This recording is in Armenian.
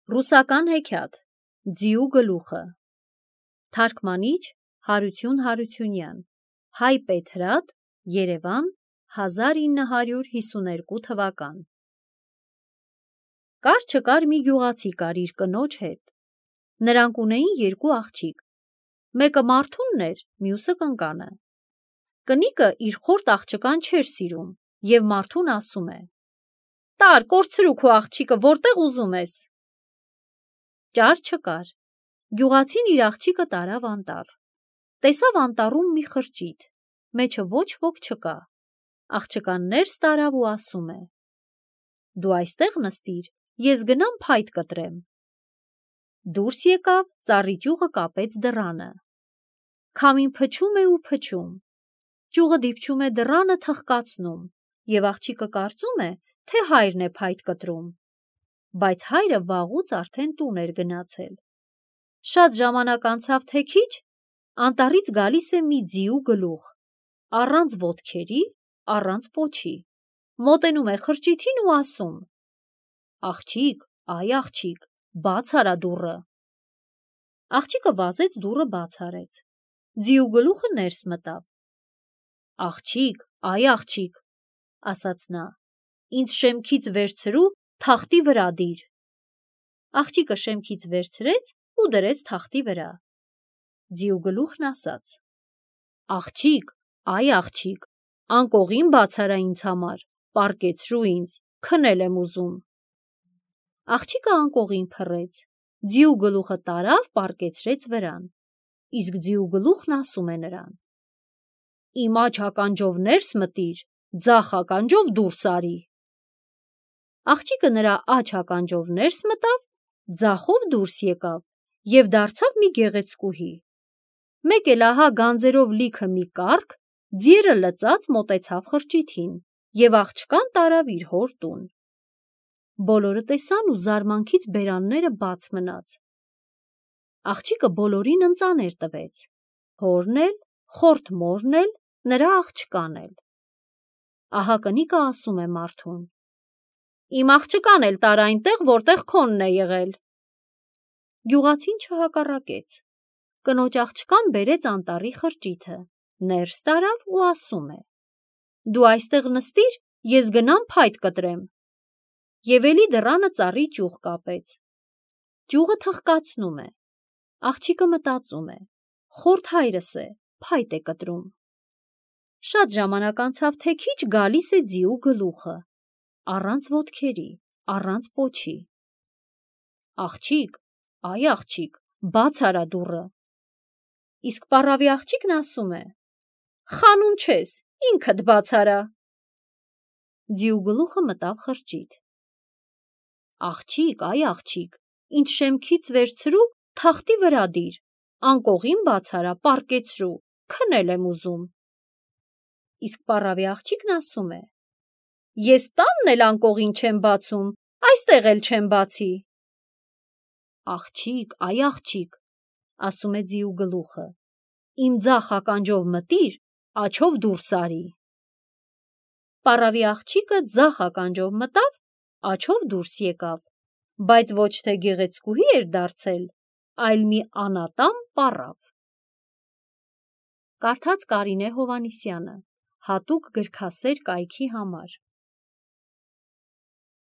Ռուսական հեքիաթ Ձիու գլուխը Թարգմանիչ Հարություն Հարությունյան Հայ Պետրատ Երևան 1952 թվական Կար չկար մի գյուղացի կար իր կնոջ հետ։ Նրանք ունեին երկու աղջիկ, մեկը Մարթունն էր, մյուսը Կնկանը։ Կնիկը իր խորտ աղջկան չէր սիրում, և Մարթուն ասում է. «Տար, կորցրու քո աղջիկը, որտեղ ուզում ես»։ Ճար չկար։ Գյուղացին իր աղջիկը տարավ անտառ։ Տեսավ անտառում մի խրճիթ, մեջը ոչ ոք չկա։ Աղջկան ներս տարավ ու ասում է. «Դու այստեղ նստիր, ես գնամ փայտ կտրեմ»։ Դուրս եկավ, ծառի ճյուղը կապեց դռանը։ Քամին փչում է ու փչում։ Ճյուղը դիպչում է դռանը թխկացնում, և աղջիկը կարծում է, թե հայրն է փայտ կտրում։ Բայց հայրը վաղուց արդեն տուն էր գնացել։ Շատ ժամանակ անցավ թե քիչ, անտառից գալիս է մի ձիու գլուխ, առանց ոտքերի, առանց պոչի, մոտենում է խրճիթին ու ասում. «Աղջիկ, այ աղջիկ, բաց արա դուռը»։ Աղջիկը վազեց դուռը բաց արեց։ Ձիու գլուխը ներս մտավ։ «Աղջիկ, այ աղջիկ», ասաց նա, «ինձ շեմքից վերցրու, թախտի վրա դիր»։ Աղջիկը շեմքից վերցրեց ու դրեց թախտի վրա։ Ձիու գլուխն ասաց. «Աղջիկ, այ աղջիկ, անկողին բաց արա ինձ համար, պառկեցրու ինձ, քնել եմ ուզում»։ Աղջիկը անկողին փռեց, ձիու գլուխը տարավ, պառկեցրեց վրան, իսկ ձիու գլուխն ասում է նրան. «Իմ աջ ականջով ներս մտիր, ձախ ականջով դուրս արի»։ Աղջիկը նրա աջ ականջով ներս մտավ, ձախով դուրս եկավ և դարձավ մի գեղեցկուհի։ Մեկ էլ ահա գանձերով լիքը մի կառք, ձիերը լծած մոտեցավ խրճիթին և աղջկան տարավ իր հոր տուն։ Բոլորը տեսան ու զարմանքից բերանները բաց մնաց։ Աղջիկը բոլորին ընծաներ տվեց, հորն էլ, խորթ մորն էլ, նրա աղջկան էլ։ Ահա կնիկը ասում է Մարթուն. «Իմ աղջկան էլ տար այնտեղ, որտեղ քոնն է եղել»։ Գյուղացին չհակառակեց։ Կնոջ աղջկան բերեց անտառի խրճիթը, ներս տարավ ու ասում է. «Դու այստեղ նստիր, ես գնամ փայտ կտրեմ»։ Եվ էլի դռանը ծառի ճյուղ կապեց։ Ճյուղը թխկացնում է։ Աղջիկը մտածում է. «Խորթ հայրս է, փայտ է կտրում»։ Շատ ժամանակ անցավ թե քիչ, գալիս է ձիու գլուխը, առանց ոտքերի, առանց պոչի։ «Աղջիկ, այ աղջիկ, բաց արա դուռը»։ Իսկ պառավի աղջիկն ասում է. «Խանուն չես, ինքդ բաց արա»։ Ձիու գլուխը մտավ խրճիթ։ «Աղջիկ, այ աղջիկ, ինձ շեմքից վերցրու, թախտի վրա դիր, անկողին բաց արա, պառկեցրու, քնել եմ ուզում»։ Իսկ պառավի աղջիկն ասում է. «Ես տանն էլ անկողին չեմ բացում, այստեղ էլ չեմ բացի»։ «Աղջիկ, այ աղջիկ», ասում է ձիու գլուխը, «իմ ձախ ականջով մտիր, աջով դուրս արի»։ Պառավի աղջիկը ձախ ականջով մտավ, աջով դուրս եկավ, բայց ոչ թե գեղեցկուհի էր դարձել, այլ մի անատամ պառավ։ Կարդաց Կարինե Հովհաննիսյանը, հատուկ գրքասեր կայքի համար։